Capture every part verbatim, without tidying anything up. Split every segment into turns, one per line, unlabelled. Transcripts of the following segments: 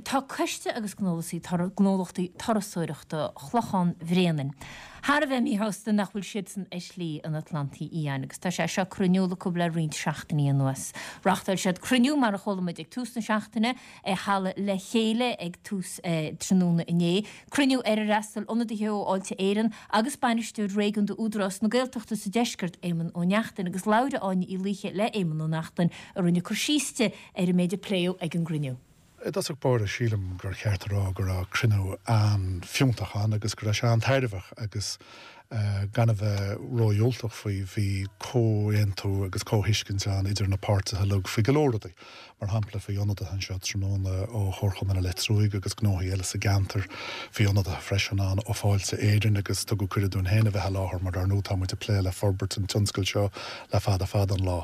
Tá coiste agus gnólachtaí gnólachtaí turasóireachta Chlochán Bhréanainn. Thar a bheith míshásta nach bhfuil siadsan ar Shlí an Atlantaigh Fhiáin, agus tá sé seo curtha in iúl acu le roinnt seachtainí anuas. Reáchtáil siad cruinniú mar a chuala muid ag tús na seachtaine i halla Le Chéile ag tús eh, tráthnóna inné. Cruinniú ar ar fhreastail ionadaithe ó Fháilte Éireann agus bainisteoir réigiúnda Údarás na Gaeltachta sa deisceart Éamonn Ó Neachtain agus labhair Áine Uí Laoithe le Éamonn Ó Neachtain a rinne cur síos di ar an méid a pléadh ag an gcruinniú.
I dtosach báire sílim gur cheart a rá go raibh cruinniú an-fhiúntach ann agus go raibh sé an-tairbheach agus uh, gan a bheith ródhiúltach faoi bhí comhaontú agus comhthuiscint ann idir na páirtithe uilig faoi go leor rudaí. Mar shampla bhí ionadaithe anseo tráthnóna ó Chomharchumann Leitriúigh agus gnóthaí eile sa gceantar, bhí ionadaithe freisin ann ó Fáilte Éireann agus tugadh cuireadh dúinn féin a bheith i láthair mar ar ndóigh tá muid ag plé le forbairt an tionscail seo le fada fada an lá.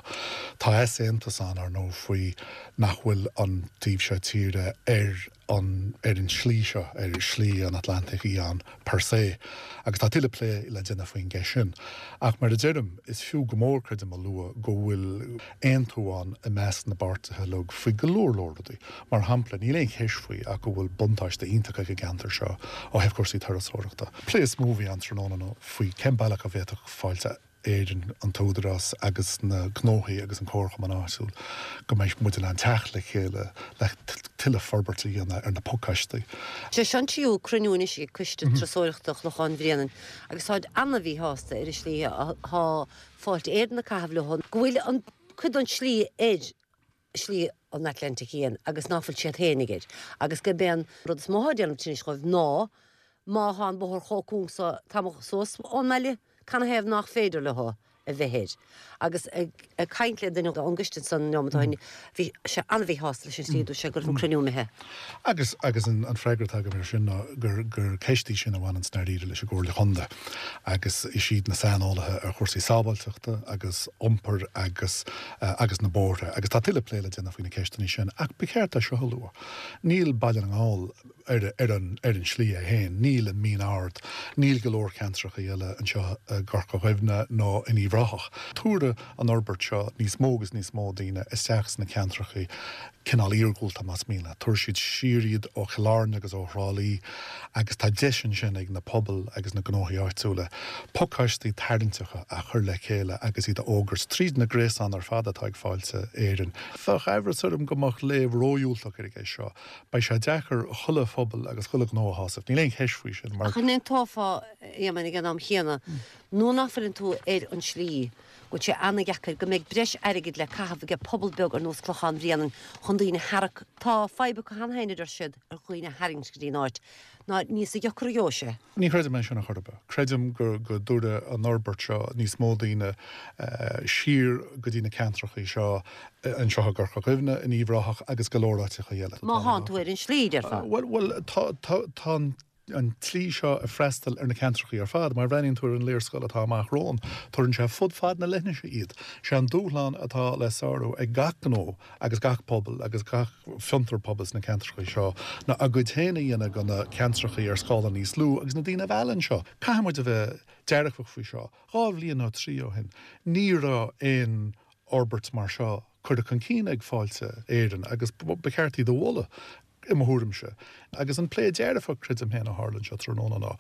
Tá easaontas ann ar ndóigh faoi nach bhfuil an taobh seo tíre ar an ar an slí seo ar Shlí an Atlantaigh Fhiáin per se. Agus tá tuilleadh plé le déanamh faoin gceist sin. Ach mar a deirim is fiú go mór creidim a lua go bhfuil aontú ann i measc na bpáirtithe uilig faoi go leor leor rudaí. Mar shampla níl aon cheist faoi ach go bhfuil buntáiste iontach ag an gceantar seo ó thaobh cúrsaí turasóireachta. Plé is mó a bhí ann tráthnóna faoi cén bealach a bhféadfadh Fáilte Éireann an tÚdarás agus na gnóthaí agus an comharchumann áitiúil go mbeidh muid in ann teacht le chéile le tuilleadh forbairt a dhéanamh ar na pacáistí.
Sé seo an tríú cruinniú anois ag coiste turasóireachta Chlochán Bhréanainn agus táid an-mhíshásta ar an slí atá Fáilte Éireann ag caitheamh leo go bhfuil an cuid den slí ar Shlí an Atlantaigh Fhiáin agus ná fuil siad féin air agus gurb é an rud is mó atá déanamh tinnis dóibh ná má tá an bóthar chomh cúng so tamall suas ón mbaile canathaobh nach féidir leo a bheith air. Agus ag caint le duine ón gcoiste san neomat bhí sé an-mhíshásta leis an slí dúirt sé go raibh an cruinniú imithe.
Agus agus an, an freagra atá agam ar sin ná gur, gur ceist í sin a bhaineann dáiríre leis an gComhairle Chontae agus is iad na saineolaithe ar chúrsaí sábháilteachta agus iompair agus uh, agus na bóithre agus tá tuilleadh plé le déanamh faoi na ceisteanna sin ach ba cheart é seo a lua. Níl Baile na nGall ar, ar, an, ar an slí é féin, níl an Mín Ard, níl go leor ceantracha eile anseo i gCorca Dhuibhne nó in Uíbh Ráthach. Tabharfaidh an fhorbairt seo níos mó agus níos mó daoine isteach sna ceantracha cineál iargúlta más mian leat. Tabharfaidh siad siar iad ó Chill Airne agus ó Thrá Lí agus tá deis ansin ag na pobail agus na gnóthaí áitiúla pacáistí tarraingteacha a chur le chéile agus iad a fhógairt tríd na gréasáin ar fad atá ag Fáilte Éireann. Bheadh aimhreas orm go mbeadh léamh ródhiúltach ar an gceist seo. Beidh sé deacair chuile phobal agus chuile ghnó a shásamh. Níl aon cheist faoi sin mar
Ach an aontófá Éamonn ag an am chéanna nuair nach bhfuileann tú ar an slí go bhfuil sé an-deacair go mbeidh breis airgid le caitheamh ag pobal beag ar nós Clochán Bhréanainn chun daoine a tharrac tá fadhb acu cheana féin a deir siad ar dhaoine a tharraingt go dtí an áit ná níos deacra a gheobhaidh sé.
Ní chreidim é sin a chorba. Creidim go go dtabharfaidh an fhorbairt seo níos mó daoine uh, siar go dtí na ceantracha seo anseo i gCorca Dhuibhne in Uíbh Ráthach agus go leor áiteacha eile.
Má thánn tú ar an slí déarfá.
Well well tá tá tá an tslí seo ag freastal ar na ceantracha ar fad, mar bhreathnaíonn tú ar an léarscáil atá amach romhainn, tugann sé fud fad na leithinse iad. Sé an dúshlán atá le sárú ag gach gnó agus gach pobal agus gach fiontar pobail sna ceantracha seo ná a gcuid féin a dhéanamh de na ceantracha ar scála níos lú agus na daoine a mhealladh anseo. Caithfidh muid a bheith dearfach faoi seo. Dhá bhliain nó trí ó shin, ní raibh aon fhorbairt mar seo curtha chun cinn ag Fáilte Éireann agus ba cheart iad a mholadh i mo thuairimse. Agus an plé dearfach creidim féin a tharla anseo tráthnóna ná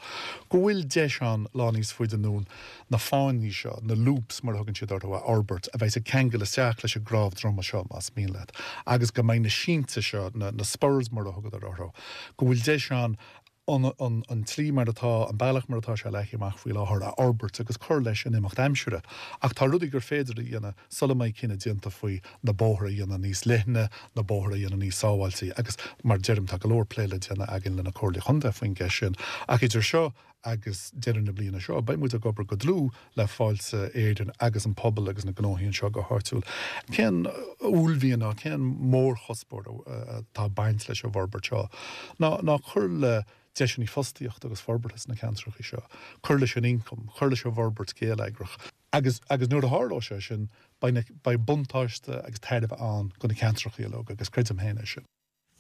go bhfuil deis ann lá níos faide anonn na fáinní seo, na loops mar a thugann siad orthu a fhorbairt a bheidh ag ceangal isteach leis an gcnámh droma seo más mian leat. Agus go mbeidh na sínte seo na, na spurs mar a thugadar orthu, go bhfuil deis ann an, an, an tslí mar atá an bealach mar atá sé leagtha amach faoi láthair a fhorbairt agus cur leis in imeacht aimsire. Ach tá rudaí gur féidir a dhéanamh sula mbeidh cinneadh déanta faoi na bóithre a dhéanamh níos leithne, na bóithre a dhéanamh níos sábháilte agus mar deirim tá go leor plé le déanamh againn lena Comhairle Chontae faoin gceist sin. Ach idir seo agus deireadh na bliana seo, beidh muid ag obair go dlúth le Fáilte Éireann agus an pobal agus na gnóthaí anseo go háitiúil. Cén uaillmhian ná cén mórchuspóir atá ag baint leis an bhforbairt seo ná ná cur le deiseanna fostaíochta agus forbartha sna ceantracha seo, cur leis an ioncam, cur leis an bhforbairt gheilleagrach. Agus agus nuair a tharlóidh sé sin beidh buntáiste agus tairbhe ann do na ceantracha uilig agus creidim féin é sin.